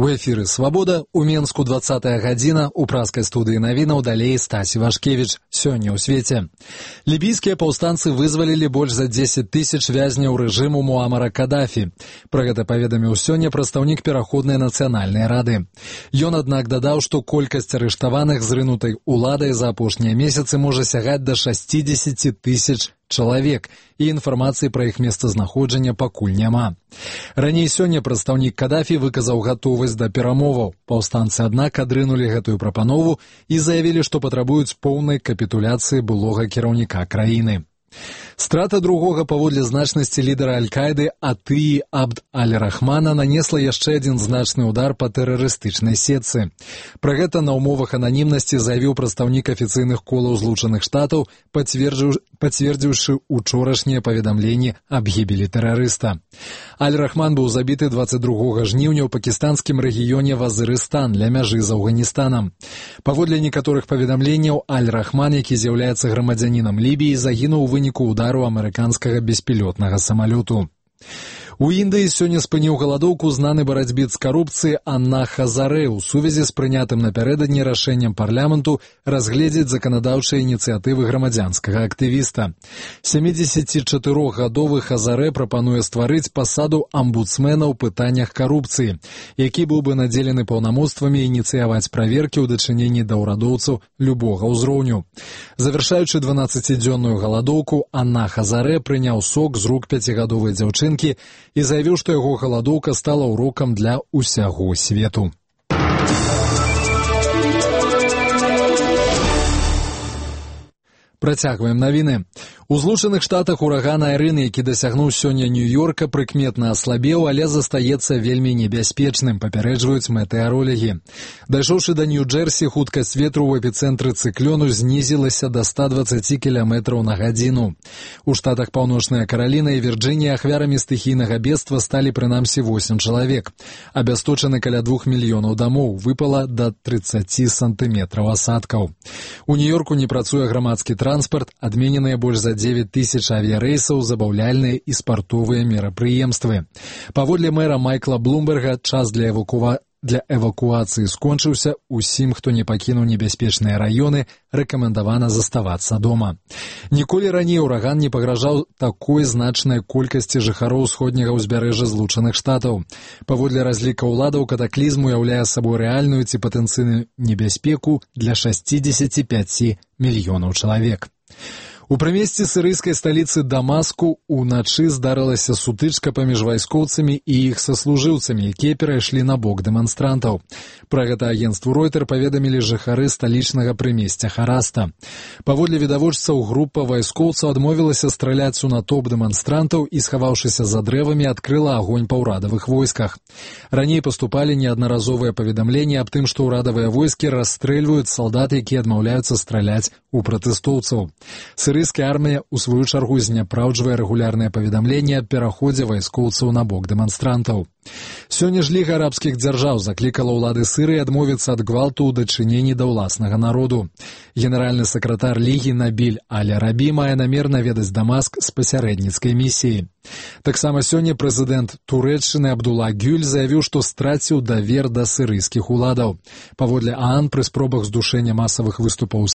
У эфіры «Свабода», у Менску 20-я гадзіна, у праскай студыі навінаў далей Стасі Вашкевіч. Сёння ў свеце. Лібійскія паўстанцы вызвалілі больш за 10 тысяч вязняў рэжыму Муамара Кадафі. Пра гэта паведаміў сёння прадстаўнік Пераходнай нацыянальнай рады. Ён, аднак, дадаў, што колькасць арыштаваных зрынутай уладай за апошнія месяцы можа сягаць да 60 тысяч чалавек, і інфармацыі пра іх месцазнаходжанне пакуль няма. Раней сёння прадстаўнік Кадафі выказаў гатовасць да перамоваў. Паўстанцы, аднак, адрынулі гэтую прапанову і заявілі, што патрабуюць поўнай капітуляцыі былога кіраўніка краіны. Страта другога паводле значнасці лідара Аль-Каіды Атыі Абд Аль-Рахмана нанесла яшчэ адзін значны ўдар па тэрарыстычнай сетцы. Пра гэта на ўмовах ананімнасці заявіў прадстаўнік афіцыйных колаў Злучаных Штатаў, пацвердзіўшы учорашнія паведамленні аб гібелі тэрарыста. Аль-Рахман быў забіты 22 жніўня ў пакістанскім рэгіёне Вазырыстан ля мяжы з Афганістанам. Паводле некаторых паведамленняў, Аль-Рахман, які з'яўляецца грамадзянінам Лібіі, загінуў у выніку удару амерыканскага беспілотнага самалёту. У Індыі сёння спыніў галадоўку знаны барацьбіт з карупцыяй Анна Хазарэ ў сувязі з прынятым напярэдадні рашэннем парламенту разгледзець заканадаўчыя ініцыятывы грамадзянскага актывіста. 74-гадовы Хазарэ прапануе стварыць пасаду амбудсмена ў пытаннях карупцыі, які быў бы надзелены паўнамоцтвамі ініцыяваць праверкі ў дачыненні да ўрадоўцаў любога ўзроўню. Завяршаючы 12-дзённую галадоўку, Анна Хазарэ прыняў сок з рук 5гадовай дзяўчынкі і заявіў, што яго галадоўка стала урокам для ўсяго свету. Працягваем навіны. У Злучаных Штатах ураган Айрын, які дасягнуў сёння Нью-Йорка, прыкметна аслабеў, але застаецца вельмі небяспечным, папярэджваюць метэарологі. Дайшоўшы да Нью-Джерсі, хуткасць ветру ў эпіцэнтры цыклёну знізілася да 120 км на гадзіну. У штатах Паўночная Караліна і Вірджынія ахвярамі стыхійнага бедства сталі прынамсі 8 чалавек. Абясточаны каля 2 мільёнаў дамоў, выпала да 30 сантыметраў асадкаў. У Нью-Йорку не працуе грамадскі транспарт, адмененыя больш за 9 тысяч авіярэйсаў, забаўляльныя і спартовыя мерапрыемствы. Паводле мэра Майкла Блумберга, час для эвакуацыі скончыўся. Усім, хто не пакінуў небяспечныя раёны, рэкамендавана заставацца дома. Ніколі раней ураган не пагражаў такой значнай колькасці жыхароў усходняга ўзбярэжжа Злучаных Штатаў. Паводле разліка ўладаў, катаклізм уяўляе сабой рэальную ці патэнцыйную небяспеку для 65 мільёнаў чалавек. У прымесці сірыйскай сталіцы Дамаску уначы здарылася сутычка паміж вайскоўцамі і іх саслужыўцамі, якія перайшлі на бок дэманстрантаў. Пра гэта агенцтву Ройтер паведамілі жыхары сталічнага прымесця Хараста. Паводле відавочцаў, група вайскоўцаў адмовілася страляць у натоўп дэманстрантаў і, схаваўшыся за дрэвамі, адкрыла агонь па ўрадавых войсках. Раней паступалі неаднаразовыя паведамленні аб тым, што ўрадавыя войскі расстрэльваюць салдат, якія адмаўляюцца страляць у пратэстоўцаў. Сірыйская армія, у сваю чаргу, зняпраўджвае рэгулярнае паведамленне аб пераходзе вайскоўцаў на бок дэманстрантаў. Сёння ж Ліга арабскіх дзяржаў заклікала ўлады Сірыі адмовіцца ад гвалту ў дачыненні да ўласнага народу. Генеральны сакратар Лігі Набіль Аль-Арабі мае намер наведаць Дамаск з пасярэдніцкай місіяй. Таксама сёння прэзідэнт Турэччыны Абдулла Гюль заявіў, што страціў давер да сірыйскіх уладаў. Паводле ААН, пры спробах здушэння масавых выступаў